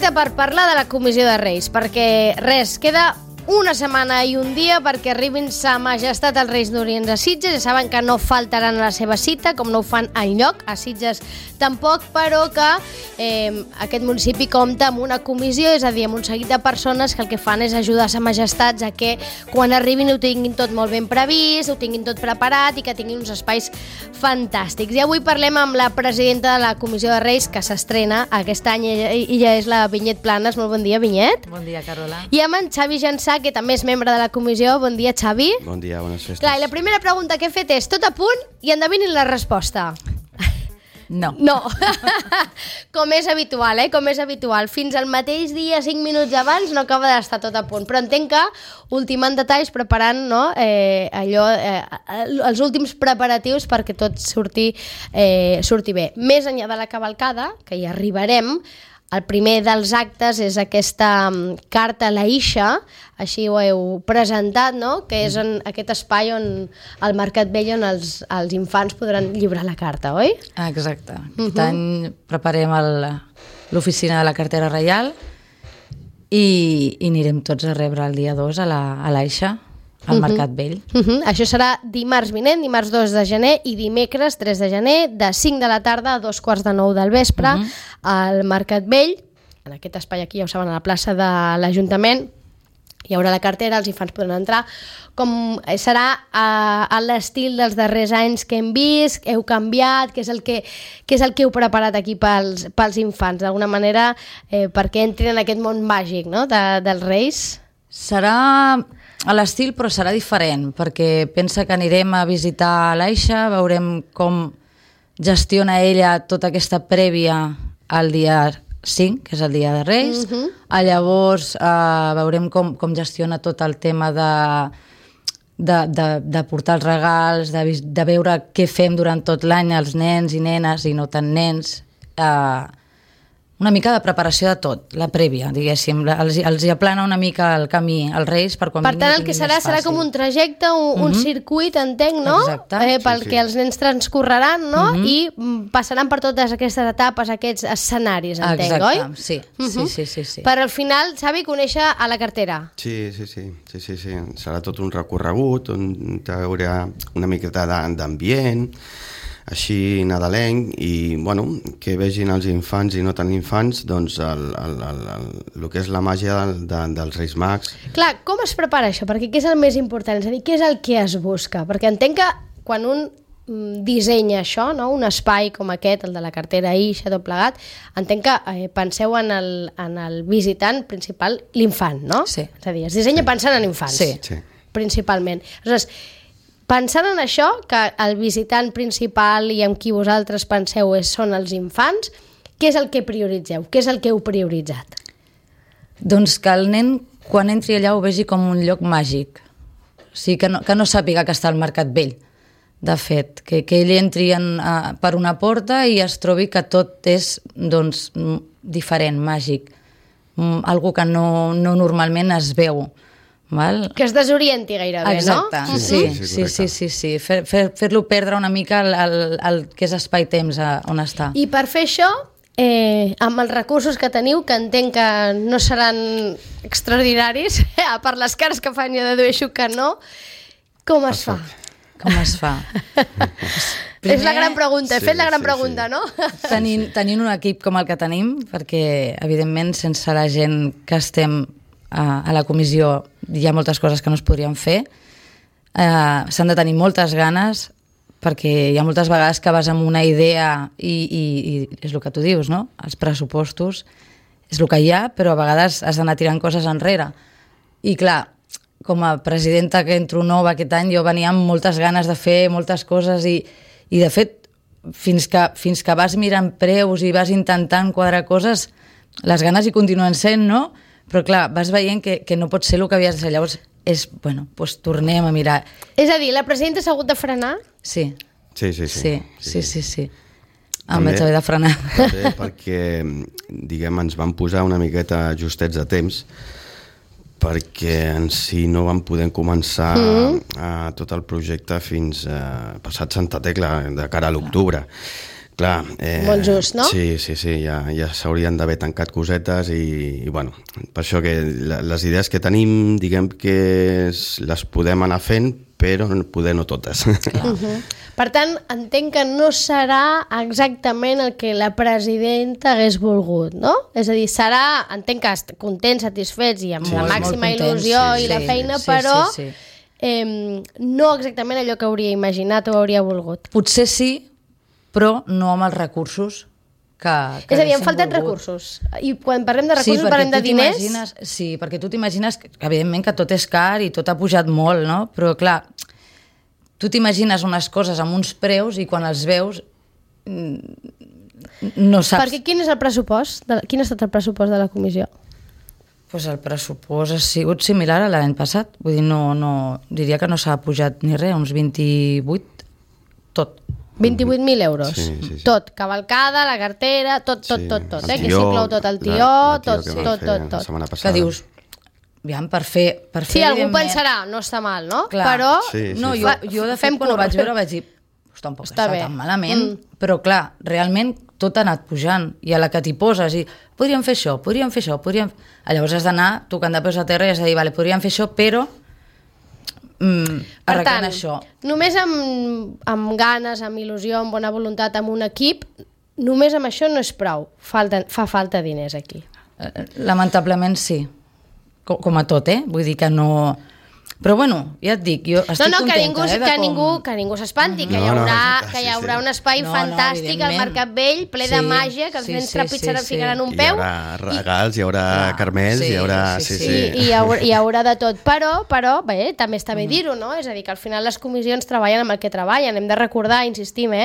perfecte per parlar de la Comissió de Reis, perquè queda una setmana i un dia perquè arribin sa majestat els Reis d'Orient a Sitges. Ja saben que no faltaran a la seva cita, com no ho fan enlloc, a Sitges tampoc, però que aquest municipi compta amb una comissió, és a dir, amb un seguit de persones que el que fan és ajudar sa majestats a que quan arribin ho tinguin tot molt ben previst, ho tinguin tot preparat i que tinguin uns espais fantàstics. I avui parlem amb la presidenta de la Comissió de Reis, que s'estrena aquest any, i ja és la Vinyet Planes. Molt bon dia, Vinyet. Bon dia, Carola. I amb en Xavi Jansà, que també és membre de la comissió. Bon dia, Xavi. Bon dia, bones festes. Clar, i la primera pregunta que he fet és tot a punt i endevinin la resposta. No. No. Com és habitual, Com és habitual. Fins al mateix dia, 5 minuts abans, no acaba d'estar tot a punt. Però entenc que ultimant detalls, preparant els últims preparatius perquè tot surti bé. Més enllà de la cavalcada, que hi arribarem, el primer dels actes és aquesta carta a la Ixa, així ho heu presentat, no? Que és en aquest espai on al Mercat Vell on els infants podran lliurar la carta, oi? Exacte. Aquest any preparem l'oficina de la cartera reial i anirem tots a rebre el dia 2 a la Ixa, al Mercat Vell. Això serà dimarts vinent, dimarts 2 de gener i dimecres 3 de gener, de 5 de la tarda a 2:45 del vespre, al Mercat Vell, en aquest espai aquí, ja ho saben, a la plaça de l'Ajuntament. Hi haurà la cartera, els infants podran entrar. Com serà a l'estil dels darrers anys que hem vist, heu canviat, què és el que heu preparat aquí pels infants, d'alguna manera, perquè entrin en aquest món màgic, no?, dels Reis? Serà a l'estil, però serà diferent, perquè pensa que anirem a visitar l'Aixa, veurem com gestiona ella tota aquesta prèvia al dia 5, que és el dia de Reis. Llavors veurem com gestiona tot el tema de portar els regals, de veure què fem durant tot l'any els nens i nenes i no tan nens. Una mica de preparació de tot, la prèvia, diguéssim. Els aplana una mica el camí als Reis per quan vinguin. Per tant, el que serà com un trajecte, un circuit, entenc, no? Exacte. Pel que els nens transcorreran, no? I passaran per totes aquestes etapes, aquests escenaris, entenc, oi? Exacte, sí. Per al final, Xavi, conèixer a la cartera. Sí. Serà tot un recorregut on hi haurà una miqueta d'ambient, així nadalenc, i que vegin els infants i no tan infants doncs el que és la màgia dels Reis Mags. Clar, com es prepara això? Perquè què és el més important? És a dir, què és el que es busca? Perquè entenc que quan un dissenya això, no? Un espai com aquest, el de la cartera Ixa, tot plegat, entenc que penseu en el visitant principal, l'infant, no? Sí. És a dir, es dissenya pensant en infants, Sí. Principalment. Aleshores, pensant en això, que el visitant principal i amb qui vosaltres penseu són els infants, què és el que prioritzeu? Què és el que heu prioritzat? Doncs que el nen, quan entri allà, ho vegi com un lloc màgic. O sigui, que no sàpiga que està al Mercat Vell, de fet. Que ell entri per una porta i es trobi que tot és diferent, màgic. Algo que no normalment es veu. Val? Que es desorienti gairebé, exacte, no? Sí. Fer-lo perdre una mica el que és espai-temps on està. I per fer això, amb els recursos que teniu, que entenc que no seran extraordinaris, per les cares que fan jo dedueixo que no, com es fa? Com es fa? És la gran pregunta, he fet la gran pregunta, no? Tenint un equip com el que tenim, perquè evidentment sense la gent que estem a la comissió hi ha moltes coses que no es podrien fer, s'han de tenir moltes ganes, perquè hi ha moltes vegades que vas amb una idea i és el que tu dius, no? Els pressupostos és el que hi ha, però a vegades has d'anar tirant coses enrere. I clar, com a presidenta que entro nova aquest any, jo venia amb moltes ganes de fer moltes coses i de fet, fins que vas mirant preus i vas intentant quadrar coses, les ganes hi continuen sent, no? Però clar, vas veient que no pot ser el que havies de ser. Llavors, doncs tornem a mirar. És a dir, la presidenta s'ha hagut de frenar? Sí. Sí. Em vaig haver de frenar. També perquè, ens van posar una miqueta justets de temps, perquè en si no vam poder començar tot el projecte fins passat Santa Tecla, de cara a l'octubre. Clar, molt just, no? Sí, ja s'haurien d'haver tancat cosetes i bueno, per això que les idees que tenim, diguem que les podem anar fent, però poder no totes. Per tant, entenc que no serà exactament el que la presidenta hagués volgut, no? És a dir, serà, entenc que contents, satisfets i amb la màxima il·lusió i la feina, però no exactament allò que hauria imaginat o hauria volgut. Potser sí, però no amb els recursos que és a dir, han faltat recursos. I quan parlem de recursos parlem de diners? Sí, perquè tu t'imagines que, evidentment, que tot és car i tot ha pujat molt, no? Però, clar, tu t'imagines unes coses amb uns preus i quan els veus no saps... Perquè quin és el pressupost? Quin ha estat el pressupost de la comissió? Pues el pressupost ha sigut similar a l'any passat. Vull dir, diria que no s'ha pujat ni res, uns 28, tot. 28.000 euros. Sí. Tot, cavalcada, la cartera, tot, que s'inclou tot el tió, tot. Que dius, aviam, per fer sí, algú pensarà, no està mal, no? Clar. Però... No, jo de fet, quan ho vaig veure, vaig dir, tampoc està tan malament, però clar, realment tot ha anat pujant, i a la que t'hi poses, i podríem fer això, llavors has d'anar tocant de peus a terra i has de dir, vale, podríem fer això, però per tant, això. Només amb ganes, amb il·lusió, amb bona voluntat, amb un equip, només amb això no és prou. Fa falta diners aquí. Lamentablement sí. Com a tot, Vull dir que no... Però bueno, ja et dic, jo estic contenta. Que ningú s'espanti, que hi haurà un espai fantàstic al Mercat Vell, ple de màgia, que els nens trepitjaran, ficaran un peu. Hi haurà regals, hi haurà carmells, hi haurà... Hi haurà de tot. Però bé, també està bé dir-ho, no? És a dir, que al final les comissions treballen amb el que treballen. Hem de recordar, insistim,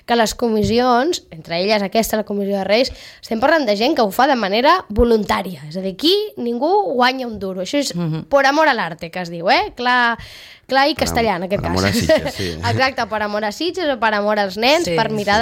que les comissions, entre elles aquesta, la Comissió de Reis, estem parlant de gent que ho fa de manera voluntària. És a dir, aquí ningú guanya un duro. Això és por amor a l'arte, que es diu, clar i castellà, en aquest cas. Per amor a Sitges, sí. Exacte, per amor a Sitges o per amor als nens, per mirar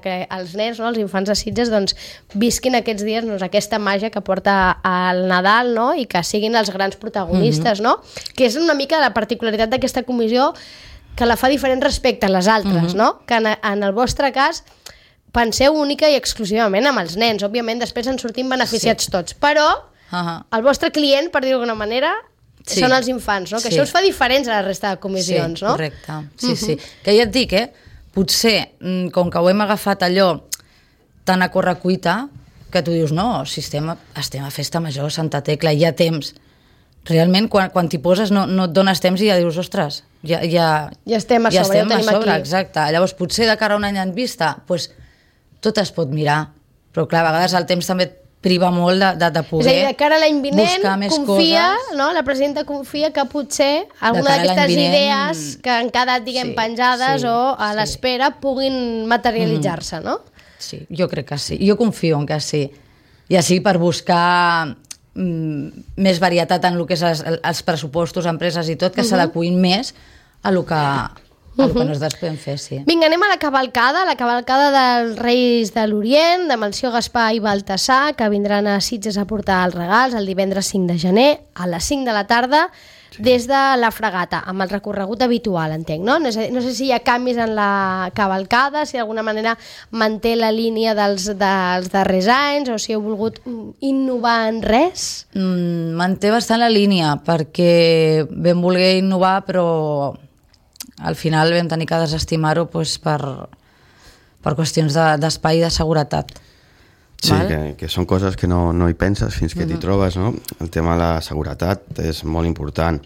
que els nens, els infants de Sitges, visquin aquests dies aquesta màgia que porta al Nadal, i que siguin els grans protagonistes, que és una mica la particularitat d'aquesta comissió, que la fa diferent respecte a les altres, que en el vostre cas penseu única i exclusivament amb els nens. Òbviament, després en sortim beneficiats tots, però el vostre client, per dir-ho d'alguna manera, són els infants, que això us fa diferents a la resta de comissions, no? Correcte, sí. Que ja et dic, potser, com que ho hem agafat allò tan a correcuita, que tu dius, no, si estem a Festa Major, Santa Tecla, hi ha temps. Realment, quan t'hi poses no et dones temps i ja dius, ostres, ja estem a sobre, ja ho tenim aquí. Exacte. Llavors, potser de cara a un any en vista, tot es pot mirar, però clar, a vegades el temps també priva molt de poder. És a dir, de cara a l'any vinent, confia, coses. La presidenta confia que potser alguna d'aquestes idees que han quedat, penjades o a l'espera puguin materialitzar-se, no? Sí, jo crec que sí. Jo confio en que sí. Ja sigui per buscar més varietat en el que és els pressupostos, empreses i tot, que s'adequin més a lo que nosaltres podem fer, sí. Vinga, anem a la cavalcada dels Reis de l'Orient, de Melcior, Gaspar i Baltasar, que vindran a Sitges a portar els regals el divendres 5 de gener a les 5 de la tarda des de la Fragata, amb el recorregut habitual, entenc, no? No sé si hi ha canvis en la cavalcada, si d'alguna manera manté la línia dels darrers anys o si heu volgut innovar en res? Manté bastant la línia, perquè vam voler innovar, però al final vam tenir que desestimar-ho per qüestions d'espai i de seguretat. Sí, que són coses que no hi penses fins que t'hi trobes, no? El tema de la seguretat és molt important.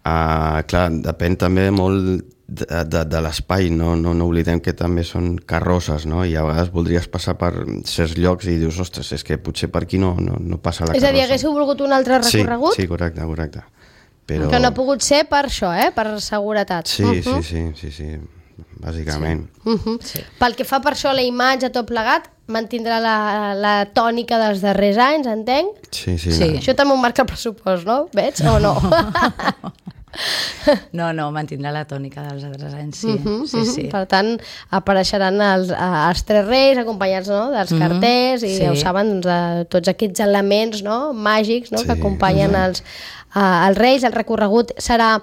Clar, depèn també molt de l'espai, no oblidem que també són carrosses, no? I a vegades voldries passar per certs llocs i dius, ostres, és que potser per aquí no passa la carrossa. És a dir, haguéssiu volgut un altre recorregut? Sí, correcte. Però... Que no ha pogut ser per això, per seguretat. Sí, bàsicament. Sí. Pel que fa per això la imatge, tot plegat, mantindrà la tònica dels darrers anys, entenc? Sí. Això també ho marca el pressupost, no? Veig o no? No, mantindrà la tònica dels altres anys, sí. Sí. Per tant, apareixeran els tres reis acompanyats, no?, dels carters i ja ho saben, doncs, de tots aquests elements, no?, màgics, no?, que acompanyen els Reis. El recorregut serà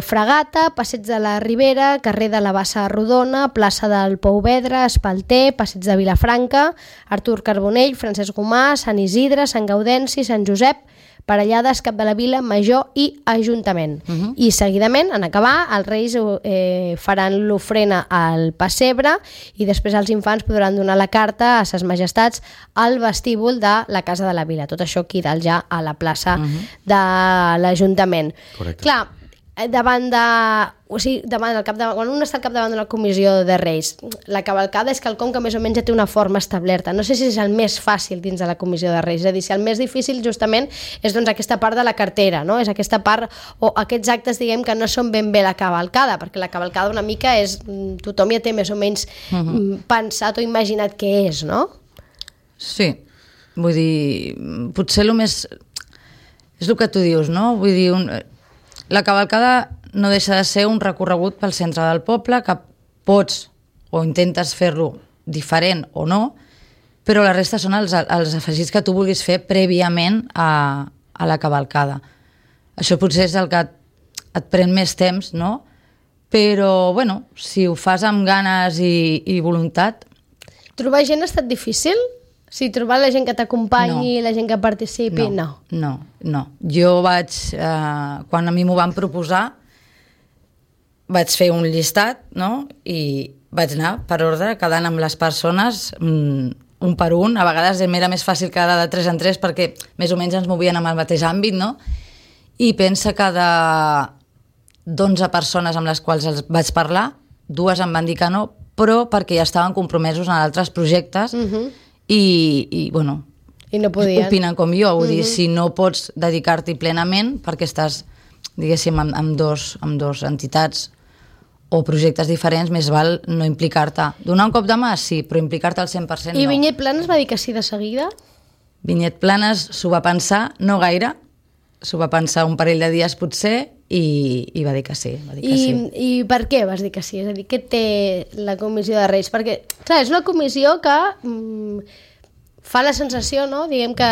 Fragata, Passeig de la Ribera, carrer de la Bassa Rodona, plaça del Pouvedre, Espalter, Passeig de Vilafranca, Artur Carbonell, Francesc Gomà, Sant Isidre, Sant Gaudenci, Sant Josep, Parellades, Cap de la Vila, Major i Ajuntament. I seguidament, en acabar, els Reis faran l'ofrena al pessebre i després els infants podran donar la carta a ses majestats al vestíbul de la Casa de la Vila. Tot això aquí dalt ja a la plaça de l'Ajuntament. Correcte. Clar, davant quan un està al capdavant d'una comissió de Reis, la cavalcada és quelcom que més o menys ja té una forma establerta. No sé si és el més fàcil dins de la comissió de Reis, és a dir, si el més difícil justament és doncs aquesta part de la cartera, no? És aquesta part o aquests actes, diguem, que no són ben bé la cavalcada, perquè la cavalcada una mica és, tothom ja té més o menys pensat o imaginat què és, no? Sí, vull dir, potser el més... És el que tu dius, no? Vull dir, la cavalcada no deixa de ser un recorregut pel centre del poble que pots o intentes fer-lo diferent o no, però la resta són els afegits que tu vulguis fer prèviament a la cavalcada. Això potser és el que et pren més temps, no? Però, bueno, si ho fas amb ganes i voluntat... Trobar gent ha estat difícil? Si trobar la gent que t'acompanyi, la gent que participi, no. No. Jo vaig, quan a mi m'ho van proposar, vaig fer un llistat, no? I vaig anar per ordre, quedant amb les persones, un per un. A vegades m'era més fàcil quedar de 3 en 3 perquè més o menys ens movien amb el mateix àmbit, no? I pensa que de 11 persones amb les quals els vaig parlar, 2 em van dir que no, però perquè ja estaven compromesos en altres projectes i bueno, i no podien. Opinen com jo, vull dir, si no pots dedicar-t'hi plenament perquè estàs, diguéssim, amb dos entitats o projectes diferents, més val no implicar-te. Donar un cop de mà, sí, però implicar-te al 100% no. I Vinyet Planes va dir que sí de seguida? Vinyet Planes s'ho va pensar, no gaire, s'ho va pensar un parell de dies potser i va dir que sí. I per què vas dir que sí? És a dir, què té la comissió de Reis? Perquè, clar, és una comissió que fa la sensació, no?, diguem que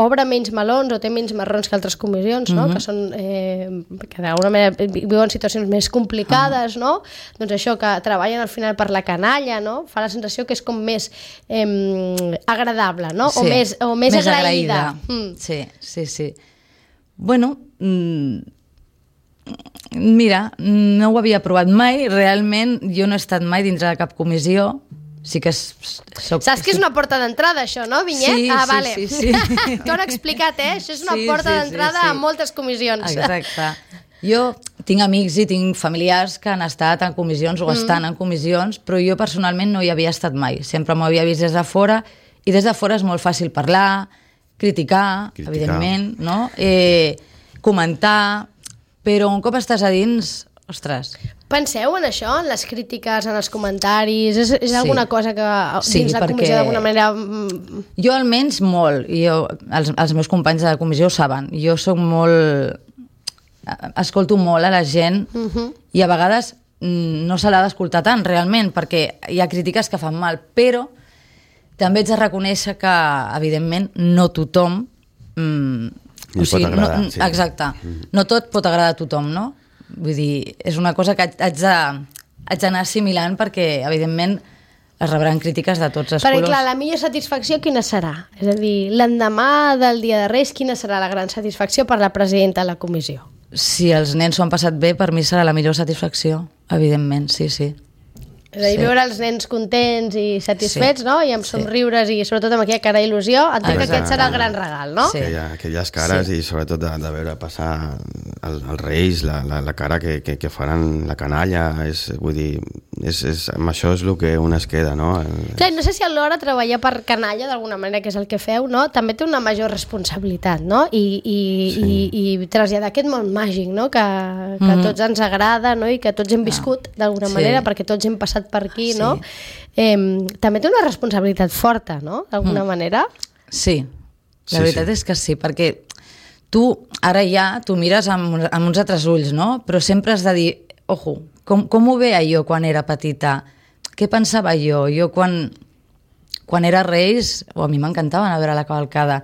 obre menys melons o té menys marrons que altres comissions, no?, que són que d'alguna manera viuen situacions més complicades, no? Doncs això, que treballen al final per la canalla, no? Fa la sensació que és com més agradable, no? Sí, o més agraïda. Sí. Bueno, mira, no ho havia provat mai, realment jo no he estat mai dintre de cap comissió. Sí que saps que és una porta d'entrada, això, no, Vinyet? Sí, vale. Sí. T'ho han explicat, Això és una porta d'entrada a moltes comissions. Exacte. Jo tinc amics i tinc familiars que han estat en comissions o estan en comissions, però jo personalment no hi havia estat mai. Sempre m'ho havia vist des de fora, i des de fora és molt fàcil parlar, criticar. Evidentment, no? Comentar, però un cop estàs a dins, ostres... Penseu en això, en les crítiques, en els comentaris? És alguna cosa que dins la comissió d'alguna manera... Jo almenys molt, i els meus companys de la comissió ho saben, jo soc molt... escolto molt a la gent i a vegades no se l'ha d'escoltar tant realment, perquè hi ha crítiques que fan mal, però també ets de reconèixer que, evidentment, no tothom... pot agradar, sí. Exacte. No tot pot agradar a tothom, no? Vull dir, és una cosa que haig d'anar assimilant perquè, evidentment, es rebran crítiques de tots els colors. Perquè, clar, la millor satisfacció quina serà? És a dir, l'endemà del Dia de Reis, quina serà la gran satisfacció per la presidenta de la comissió? Si els nens s'ho han passat bé, per mi serà la millor satisfacció, evidentment, sí. És a dir, veure els nens contents i satisfets, no? I amb somriures i sobretot amb aquella cara d'il·lusió, entenc que aquest serà el gran regal, no? Sí. Aquelles cares i sobretot de veure passar els Reis, la cara que faran la canalla, vull dir, amb això és el que un es queda, no? Clar, no sé si alhora treballar per canalla, d'alguna manera, que és el que feu, no? També té una major responsabilitat, no? I traslladar aquest món màgic, no? Que a tots ens agrada, no? I que tots hem viscut d'alguna manera, perquè tots hem passat per aquí, no? També té una responsabilitat forta, no? D'alguna manera. Sí, la veritat és que sí, perquè tu ara ja t'ho mires amb uns altres ulls, no? Però sempre has de dir, ojo, com ho veia jo quan era petita? Què pensava jo? Jo quan era Reis, a mi m'encantava anar a veure la cavalcada.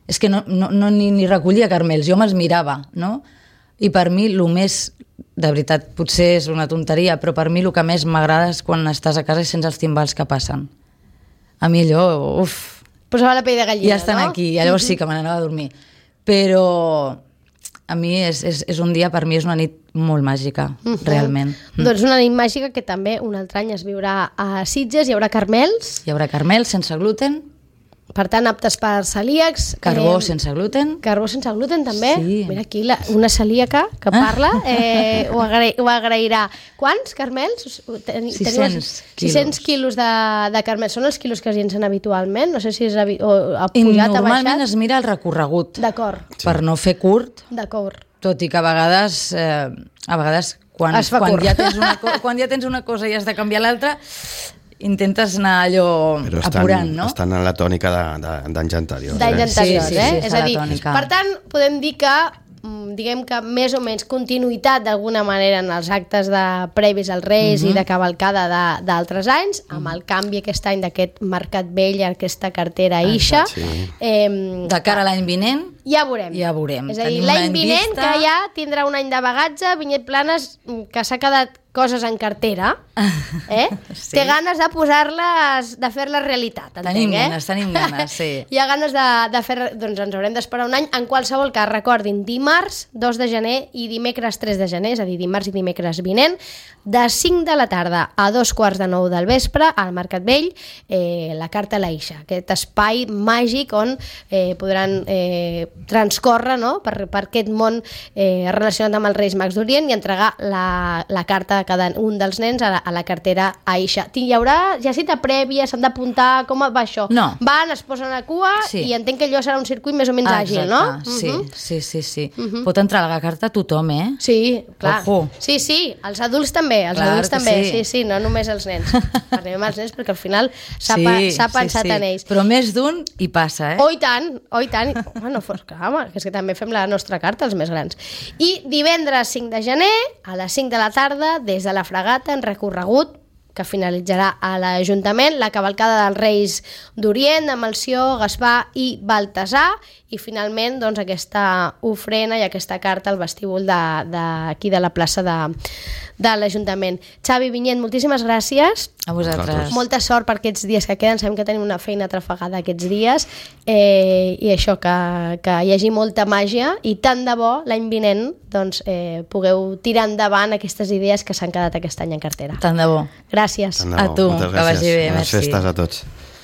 És que ni recollia carmels, jo me'ls mirava, no? I per mi el més, de veritat, potser és una tonteria, però per mi el que més m'agrada és quan estàs a casa i sents els timbals que passen. A mi allò, posava la pell de gallina, ja estan no? aquí, llavors sí que me n'anava a dormir. Però a mi és un dia, per mi és una nit molt màgica, realment. Doncs una nit màgica que també un altre any es viurà a Sitges, hi haurà carmels. Hi haurà carmels sense gluten, Per tant, aptes per celíacs. carbó sense gluten. Carbó sense gluten, també. Sí. Mira aquí una celíaca que parla, ho agrairà. Quants carmels? 600 quilos de carmels. Són els quilos que es llencen habitualment? No sé si ha pujat, I ha baixat. normalment es mira el recorregut, D'acord, per no fer curt, d'acord. tot i que a vegades quan Es fa curt. quan ja tens una cosa i has de canviar l'altra, intentes anar allò Però apurant, no? estan en la tònica d'anys anteriors. D'anys anteriors, Sí, eh? És a a la dir, tònica. per tant, podem dir que diguem que més o menys continuïtat d'alguna manera en els actes previs als Reis i de cavalcada d'altres anys, amb el canvi aquest any d'aquest Mercat Vell, aquesta cartera Ixa. Sí. De cara a l'any vinent, Ja veurem. ja veurem. És a dir, Tenim un l'any any vinent vista. que ja tindrà un any de bagatge, Vinyet Planes, que s'ha quedat coses en cartera, Sí. té ganes de posar-les, de fer-les realitat, entenc, Tenim ganes, sí. Hi ha ganes de fer... Doncs ens haurem d'esperar un any. En qualsevol cas, recordin, dimarts 2 de gener i dimecres 3 de gener, és a dir, dimarts i dimecres vinent, de 5 de la tarda a 2:45 del vespre, al Mercat Vell, la Carta Laixa, aquest espai màgic on podran transcórrer, no?, per aquest món relacionat amb els Reis Mags d'Orient i entregar la carta de cada un dels nens a la cartera Aisha. Hi haurà ja cita prèvia, s'han d'apuntar, com va això? No. Van, es posen a cua i entenc que allò serà un circuit més o menys àgil, no? Sí. Pot entrar la carta a tothom, eh? Sí, clar. Ojo. Sí, els adults també, sí, no només els nens. Parlem amb els nens perquè al final s'ha pensat en ells. Però més d'un hi passa, eh? Oh, i tant. Bueno, clar, home, que és que també fem la nostra carta, els més grans. I divendres 5 de gener, a les 5 de la tarda, des de la Fragata, en recorregut, que finalitzarà a l'Ajuntament, la cavalcada dels Reis d'Orient, de Melcior, Gaspar i Baltasar, i finalment doncs, aquesta ofrena i aquesta carta al vestíbul d'aquí de la plaça de l'Ajuntament. Xavi Vinyet, moltíssimes gràcies. A vosaltres. Molta sort per aquests dies que queden, sabem que tenim una feina trafegada aquests dies, i això, que hi hagi molta màgia, i tant de bo l'any vinent doncs, pugueu tirar endavant aquestes idees que s'han quedat aquest any en cartera. Tant de bo. Gràcies. Tant de bo. A tu, Moltes que vagi gràcies. bé, Bones merci. festes a tots.